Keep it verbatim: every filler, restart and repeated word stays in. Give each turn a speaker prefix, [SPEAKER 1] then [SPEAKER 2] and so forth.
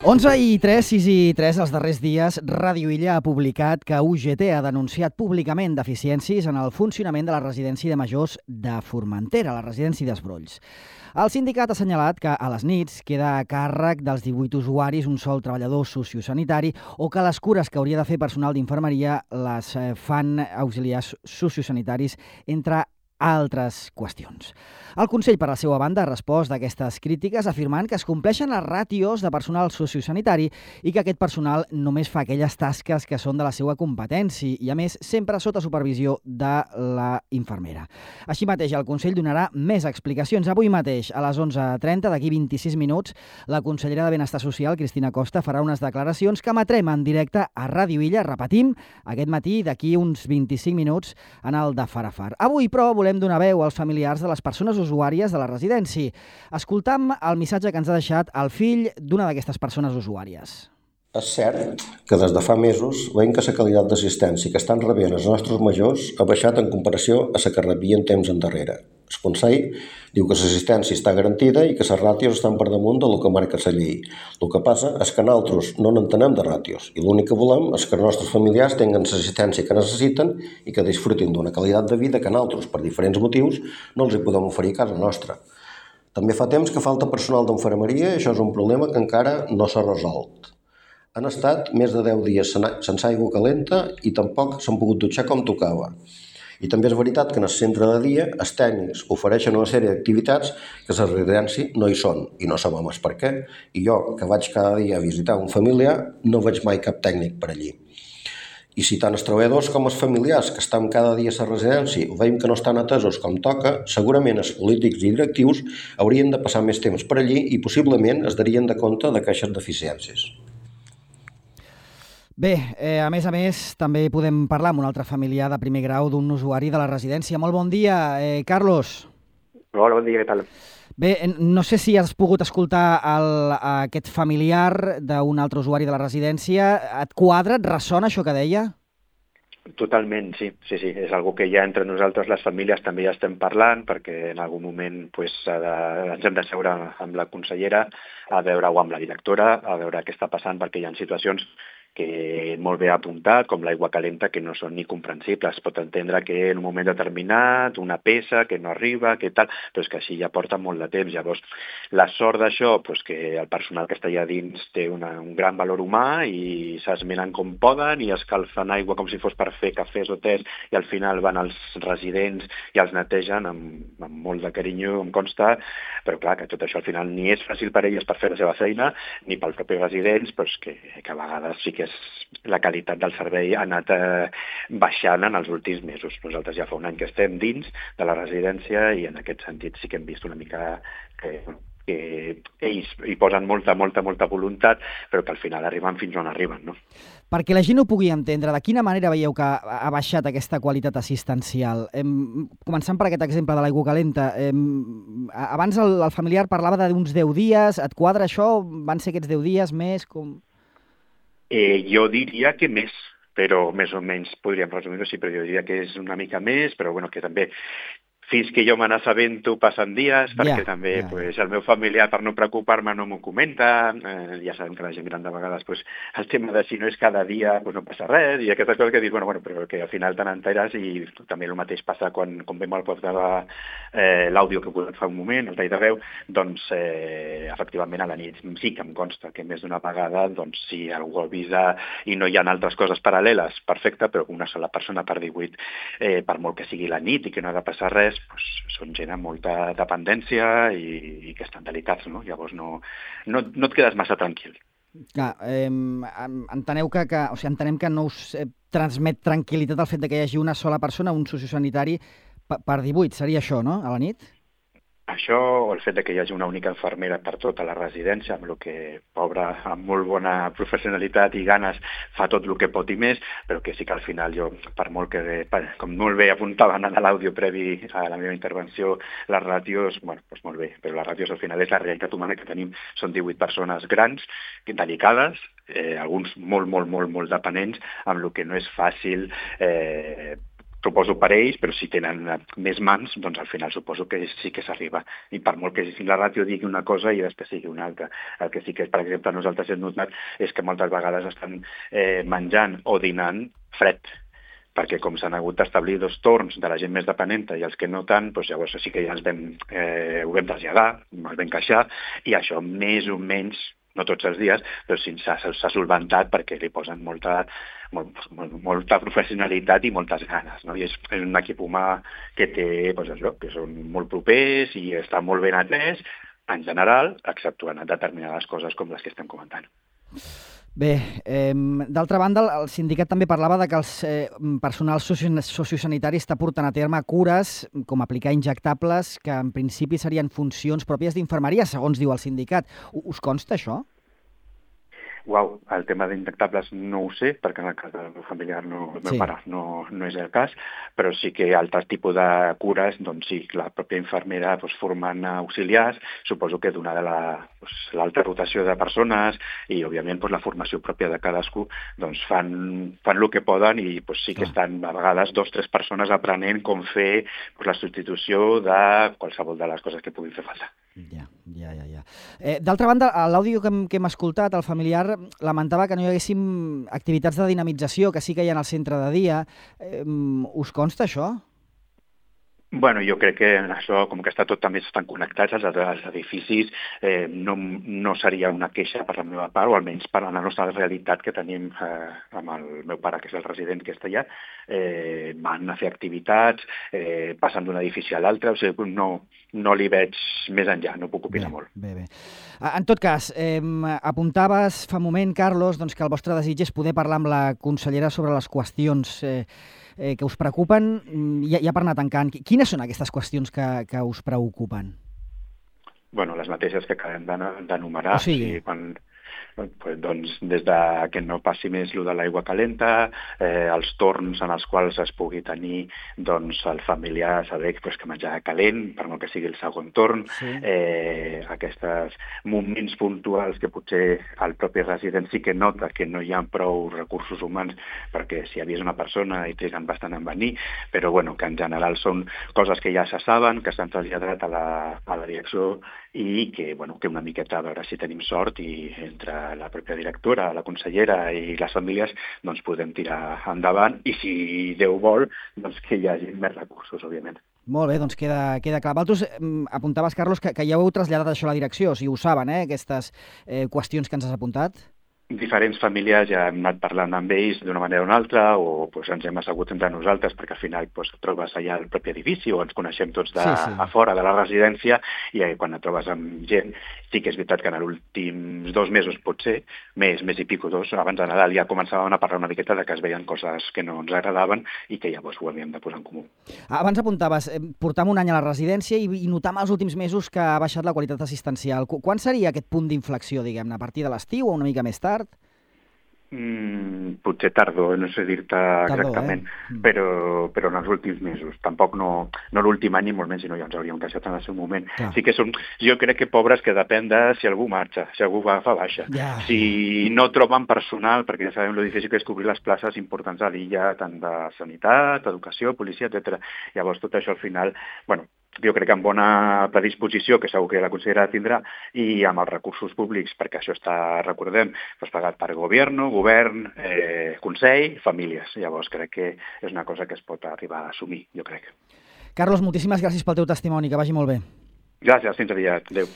[SPEAKER 1] onze i tres, sis i tres, els darrers dies, Ràdio Illa ha publicat que U G T ha denunciat públicament deficiències en el funcionament de la residència de majors de Formentera, la residència d'Esbrolls. El sindicat ha assenyalat que a les nits queda a càrrec dels divuit usuaris un sol treballador sociosanitari o que les cures que hauria de fer personal d'infermeria les fan auxiliars sociosanitaris, entre altres qüestions. El Consell, per la seva banda, ha respost d'aquestes crítiques afirmant que es compleixen les ràtios de personal sociosanitari i que aquest personal només fa aquelles tasques que són de la seva competència i, a més, sempre sota supervisió de la infermera. Així mateix, el Consell donarà més explicacions. Avui mateix, a les onze trenta, d'aquí vint-i-sis minuts, la consellera de Benestar Social, Cristina Costa, farà unes declaracions que emetrem en directe a Ràdio Illa, repetim, aquest matí, d'aquí uns vint-i-cinc minuts, en el de Farafar. Avui, però, volem donar veu als familiars de les persones usuàries de la residència. Escoltam el missatge que ens ha deixat el fill d'una d'aquestes persones usuàries.
[SPEAKER 2] És cert que des de fa mesos veiem que la qualitat d'assistència que estan rebent els nostres majors ha baixat en comparació a la que rebien temps endarrere. El Consell diu que l'assistència està garantida i que les ràtios estan per damunt del que marca la llei. El que passa és que nosaltres no n'entenem de ràtios i l'únic que volem és que els nostres familiars tinguin l'assistència que necessiten i que disfrutin d'una qualitat de vida que nosaltres, per diferents motius, no els hi podem oferir a casa nostra. També fa temps que falta personal d'infermeria i això és un problema que encara no s'ha resolt. Han estat més de deu dies sense aigua calenta i tampoc s'han pogut dutxar com tocava. I també és veritat que en el centre de dia els tècnics ofereixen una sèrie d'activitats que a la residència no hi són i no sabem el per què. I jo, que vaig cada dia a visitar un familiar, no veig mai cap tècnic per allí. I si tant els treballadors com els familiars que estan cada dia a la residència veiem que no estan atesos com toca, segurament els polítics i directius haurien de passar més temps per allí i possiblement es darien de compte d'aquestes deficiències.
[SPEAKER 1] Bé, eh, a més a més, també podem parlar amb un altre familiar de primer grau d'un usuari de la residència. Molt bon dia, eh, Carlos.
[SPEAKER 3] Hola, bon dia, què tal?
[SPEAKER 1] Bé, no sé si has pogut escoltar el, aquest familiar d'un altre usuari de la residència. Et quadra, et ressona això que deia?
[SPEAKER 3] Totalment, sí, sí, sí. És algo que ja entre nosaltres, les famílies, també ja estem parlant, perquè en algun moment pues, de, ens hem de seure amb la consellera, a veure-ho amb la directora, a veure què està passant, perquè hi ha situacions que molt bé ha apuntat, com l'aigua calenta, que no són ni comprensibles. Es pot entendre que en un moment determinat, una peça que no arriba, que tal, però és que així ja porta molt de temps. Llavors, la sort d'això, pues, que el personal que està allà dins té una, un gran valor humà i s'esmenen com poden i escalfen aigua com si fos per fer cafès o tés i al final van als residents i els netegen amb, amb molt de carinyo, em consta, però clar, que tot això al final ni és fàcil per elles per fer la seva feina, ni pels propis residents, però que, que a vegades sí que és la qualitat del servei ha anat eh, baixant en els últims mesos. Nosaltres ja fa un any que estem dins de la residència i en aquest sentit sí que hem vist una mica que, que ells hi posen molta, molta, molta voluntat, però que al final arriben fins on arriben, no?
[SPEAKER 1] Perquè la gent ho pugui entendre, de quina manera veieu que ha baixat aquesta qualitat assistencial? Em, començant per aquest exemple de l'aigua calenta, em, abans el, el familiar parlava d'uns deu dies, et quadra això? Van ser aquests deu dies més? Com...
[SPEAKER 3] Eh, jo diria que més, però més o menys podríem resumir-ho així, però jo diria que és una mica més, però bueno, que també fins que jo me n'assabento passen dies, perquè yeah, també yeah. Pues, el meu familiar, per no preocupar-me, no m'ho comenta. Eh, ja sabem que la gent gran de vegades pues, el tema de si no és cada dia pues, no passa res, i aquestes coses que dius, bueno, bueno, però que al final te n'enteres i també el mateix passa quan, quan vam al post de eh, l'àudio que he posat fa un moment, el tall de veu, doncs eh, efectivament a la nit sí que em consta que més d'una vegada doncs, si algú avisa i no hi ha altres coses paral·leles, perfecte, però una sola persona per divuit, eh, per molt que sigui la nit i que no ha de passar res, pues, són gent amb molta dependència i, i que estan delicats, no? Llavors no, no, no et quedes massa tranquil.
[SPEAKER 1] Clar, eh, enteneu que, que, o sigui, entenem que no us eh, transmet tranquil·litat el fet de que hi hagi una sola persona, un sociosanitari, per divuit, seria això, no?, a la nit?
[SPEAKER 3] Això, o el fet de que hi hagi una única infermera per tota la residència, amb el que, pobra, amb molt bona professionalitat i ganes, fa tot el que pot i més, però que sí que al final jo, per molt que, com molt bé apuntaven a l'àudio previ a la meva intervenció, les ràtios, bueno, doncs molt bé, però les ràtios al final és la realitat humana que tenim, són divuit persones grans, delicades, eh, alguns molt, molt, molt, molt dependents, amb el que no és fàcil eh, suposo per ells, però si tenen més mans, doncs al final suposo que sí que s'arriba. I per molt que la ràtio digui una cosa i després sigui una altra. El que sí que, per exemple, nosaltres hem notat és que moltes vegades estan eh, menjant o dinant fred, perquè com s'han hagut d'establir dos torns de la gent més dependenta i els que no tant, doncs llavors sí que ja els vam, eh, ho vam traslladar, els vam queixar, i això més o menys, no tots els dies, però sí s'ha solventat perquè li posen molta, molt, molta professionalitat i moltes ganes, no? I és, és un equip humà que té, doncs això, que són molt propers i està molt ben atès, en general, exceptuant determinades coses com les que estem comentant.
[SPEAKER 1] Bé, eh, d'altra banda, el sindicat també parlava de que el eh, personal sociosanitari està portant a terme cures, com aplicar injectables, que en principi serien funcions pròpies d'infermeria, segons diu el sindicat. Us consta això?
[SPEAKER 3] Uau, el tema d'injectables no ho sé, perquè en el cas del meu familiar, no, el meu sí. pare, no, no és el cas, però sí que altres tipus de cures, doncs sí, la pròpia infermera doncs, formant auxiliars, suposo que donada l'alta doncs, rotació de persones i, òbviament, doncs, la formació pròpia de cadascú, doncs fan, fan el que poden i doncs, sí que Clar. estan a vegades dos o tres persones aprenent com fer doncs, la substitució de qualsevol de les coses que puguin fer falta.
[SPEAKER 1] Ja, ja, ja. ja. Eh, d'altra banda, a l'àudio que, hem, que hem escoltat, el familiar lamentava que no hi haguéssim activitats de dinamització, que sí que hi ha al centre de dia. Eh, us consta això?
[SPEAKER 3] Bueno, jo crec que això, com que està tot també estan connectats, els, els edificis, eh, no, no seria una queixa per la meva part, o almenys per la nostra realitat que tenim eh, amb el meu pare, que és el resident que està allà, eh, van a fer activitats, eh, passant d'un edifici a l'altre, o sigui, no, no li veig més enllà, no puc opinar
[SPEAKER 1] bé,
[SPEAKER 3] molt.
[SPEAKER 1] Bé, bé. En tot cas, eh, apuntaves fa un moment, Carlos, doncs, que el vostre desig és poder parlar amb la consellera sobre les qüestions eh, eh, que us preocupen, ja, ja per anar tancant. Quines són aquestes qüestions que, que us preocupen?
[SPEAKER 3] Bueno, les mateixes que acabem d'enumerar.
[SPEAKER 1] O sigui...
[SPEAKER 3] sí, quan... Pues, doncs, des de que no passi més lo de l'aigua calenta, eh, els torns en els quals es pugui tenir doncs, el familiar saber pues, que menjar calent, per molt que sigui el segon torn, sí. eh, aquests moments puntuals que potser el propi resident sí que nota que no hi ha prou recursos humans perquè si hi hagués una persona i triguen bastant en venir, però bueno, que en general són coses que ja se saben, que s'han traslladat a la, a la direcció i que, bueno, que una miqueta a veure si tenim sort i entre la pròpia directora, la consellera i les famílies doncs podem tirar endavant i si Déu vol, doncs que hi hagi més recursos, òbviament.
[SPEAKER 1] Molt bé, doncs queda, queda clar. Vosaltres apuntaves, Carlos, que, que ja heu traslladat això a la direcció, o sigui, ho saben, eh, aquestes eh, qüestions que ens has apuntat?
[SPEAKER 3] Diferents famílies ja hem anat parlant amb ells d'una manera o una altra o pues, ens hem assegut entre nosaltres perquè al final pues, et trobes allà al propi edifici o ens coneixem tots de, sí, sí. a fora de la residència i eh, quan et trobes amb gent sí que és veritat que en els últims dos mesos potser, més, més i pico dos, abans de Nadal ja començàvem a parlar una miqueta de que es veien coses que no ens agradaven i que llavors ho havíem de posar en comú.
[SPEAKER 1] Abans apuntaves, eh, portam un any a la residència i, i notam els últims mesos que ha baixat la qualitat assistencial. Quan seria aquest punt d'inflexió, diguem-ne, a partir de l'estiu o una mica més tard?
[SPEAKER 3] Mm, potser tardor, no sé dir-te exactament, eh? però, però en els últims mesos. Tampoc no, no l'últim any ni molt menys, sinó ja ens hauríem queixat en el seu moment. Clar. Sí que són, jo crec que pobres que depèn de si algú marxa, si algú va fa baixa. Yeah. Si no troben personal, perquè ja sabem lo difícil que és cobrir les places importants a l'illa, tant de sanitat, educació, policia, etcètera. Llavors tot això al final, bueno, jo crec que amb bona predisposició, que segur que la consellera tindrà, i amb els recursos públics, perquè això està, recordem, doncs pagat per govern, govern, eh, consell, famílies. Llavors crec que és una cosa que es pot arribar a assumir, jo crec.
[SPEAKER 1] Carlos, moltíssimes gràcies pel teu testimoni, que vagi molt bé.
[SPEAKER 3] Gràcies, fins aviat. Adéu.